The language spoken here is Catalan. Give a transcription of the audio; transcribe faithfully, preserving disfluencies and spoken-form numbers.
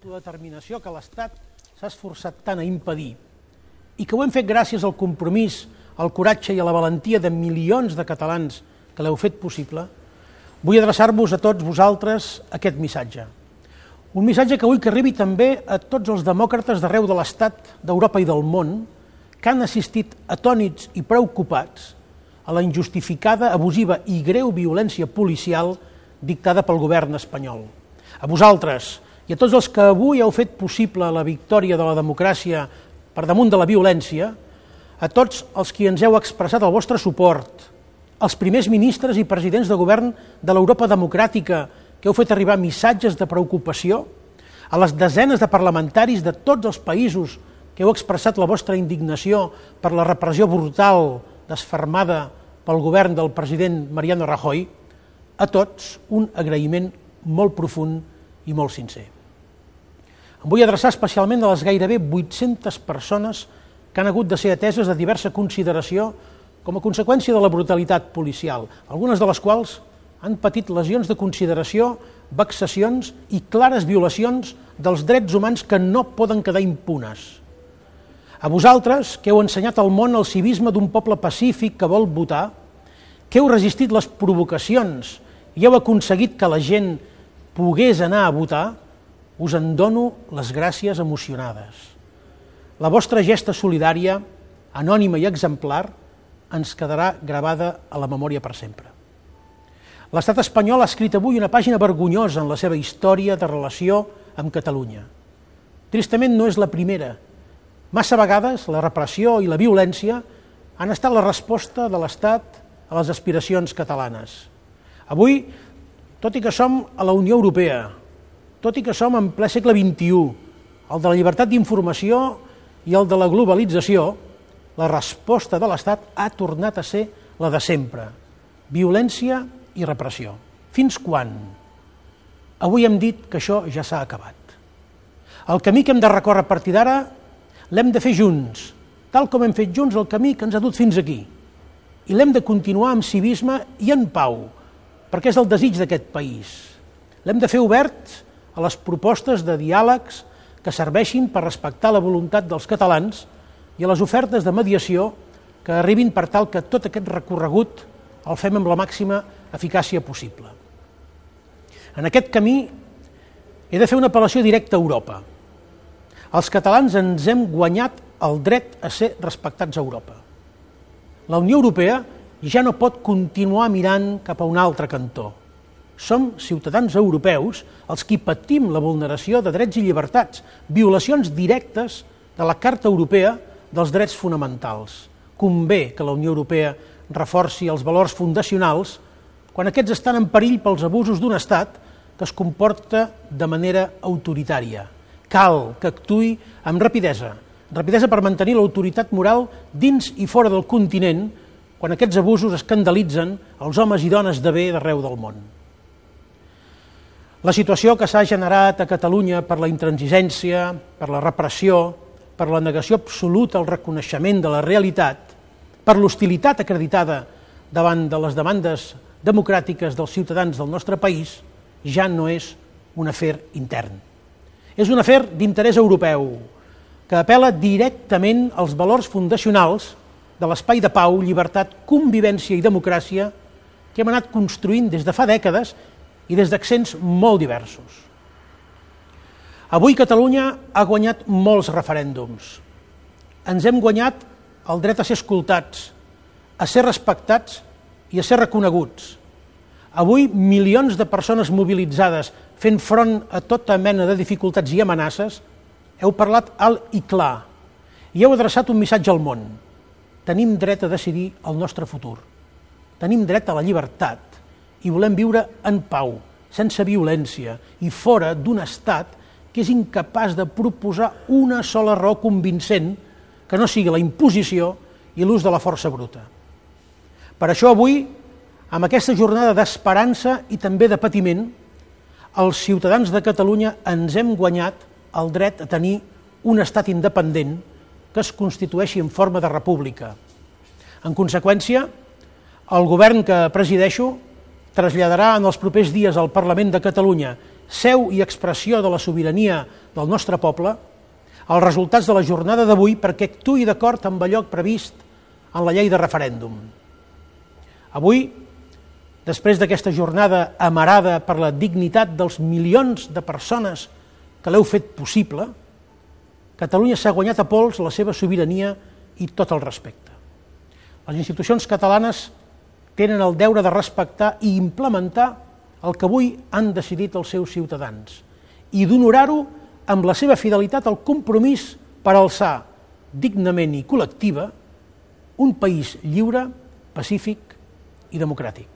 autodeterminació que l'Estat s'ha esforçat tant a impedir i que ho hem fet gràcies al compromís, al coratge i a la valentia de milions de catalans que l'heu fet possible, vull adreçar-vos a tots vosaltres aquest missatge. Un missatge que vull que arribi també a tots els demòcrates d'arreu de l'Estat, d'Europa i del món, que han assistit atònits i preocupats a la injustificada, abusiva i greu violència policial dictada pel govern espanyol. A vosaltres i a tots els que avui heu fet possible la victòria de la democràcia per damunt de la violència, a tots els qui ens heu expressat el vostre suport, als primers ministres i presidents de govern de l'Europa democràtica que heu fet arribar missatges de preocupació, a les desenes de parlamentaris de tots els països que heu expressat la vostra indignació per la repressió brutal desfermada pel govern del president Mariano Rajoy, a tots un agraïment molt profund i molt sincer. Em vull adreçar especialment a les gairebé vuit-centes persones que han hagut de ser ateses de diversa consideració com a conseqüència de la brutalitat policial, algunes de les quals han patit lesions de consideració, vexacions i clares violacions dels drets humans que no poden quedar impunes. A vosaltres, que heu ensenyat al món el civisme d'un poble pacífic que vol votar, que heu resistit les provocacions i heu aconseguit que la gent pogués anar a votar, us en dono les gràcies emocionades. La vostra gesta solidària, anònima i exemplar, ens quedarà gravada a la memòria per sempre. L'estat espanyol ha escrit avui una pàgina vergonyosa en la seva història de relació amb Catalunya. Tristament no és la primera. Massa vegades la repressió i la violència han estat la resposta de l'Estat a les aspiracions catalanes. Avui, tot i que som a la Unió Europea, tot i que som en ple segle vint-i-u, el de la llibertat d'informació i el de la globalització, la resposta de l'Estat ha tornat a ser la de sempre: violència i repressió. Fins quan? Avui hem dit que això ja s'ha acabat. El camí que hem de recórrer a partir d'ara l'hem de fer junts, tal com hem fet junts el camí que ens ha dut fins aquí. I l'hem de continuar amb civisme i en pau, perquè és el desig d'aquest país. L'hem de fer obert a les propostes de diàlegs que serveixin per respectar la voluntat dels catalans i a les ofertes de mediació que arribin per tal que tot aquest recorregut el fem amb la màxima eficàcia possible. En aquest camí he de fer una apel·lació directa a Europa. Els catalans ens hem guanyat el dret a ser respectats a Europa. La Unió Europea ja no pot continuar mirant cap a un altre cantó. Som ciutadans europeus els qui patim la vulneració de drets i llibertats, violacions directes de la Carta Europea dels Drets Fonamentals. Convé que la Unió Europea reforci els valors fundacionals quan aquests estan en perill pels abusos d'un estat que es comporta de manera autoritària. Cal que actuï amb rapidesa, rapidesa per mantenir l'autoritat moral dins i fora del continent quan aquests abusos escandalitzen els homes i dones de bé d'arreu del món. La situació que s'ha generat a Catalunya per la intransigència, per la repressió, per la negació absoluta al reconeixement de la realitat, per l'hostilitat acreditada davant de les demandes democràtiques dels ciutadans del nostre país, ja no és un afer intern. És un afer d'interès europeu, que apel·la directament als valors fundacionals de l'espai de pau, llibertat, convivència i democràcia que hem anat construint des de fa dècades i des d'accents molt diversos. Avui Catalunya ha guanyat molts referèndums. Ens hem guanyat el dret a ser escoltats, a ser respectats i a ser reconeguts. Avui milions de persones mobilitzades fent front a tota mena de dificultats i amenaces heu parlat alt i clar i heu adreçat un missatge al món. Tenim dret a decidir el nostre futur. Tenim dret a la llibertat i volem viure en pau, sense violència i fora d'un estat que és incapaç de proposar una sola raó convincent que no sigui la imposició i l'ús de la força bruta. Per això avui, amb aquesta jornada d'esperança i també de patiment, els ciutadans de Catalunya ens hem guanyat el dret a tenir un estat independent que es constitueixi en forma de república. En conseqüència, el govern que presideixo traslladarà en els propers dies al Parlament de Catalunya seu i expressió de la sobirania del nostre poble, els resultats de la jornada d'avui perquè actuï d'acord amb allò previst en la llei de referèndum. Avui, després d'aquesta jornada amarada per la dignitat dels milions de persones que l'heu fet possible, Catalunya s'ha guanyat a pols la seva sobirania i tot el respecte. Les institucions catalanes tenen el deure de respectar i implementar el que avui han decidit els seus ciutadans i d'honorar-ho amb la seva fidelitat al compromís per alçar dignament i col·lectiva un país lliure, pacífic i democràtic.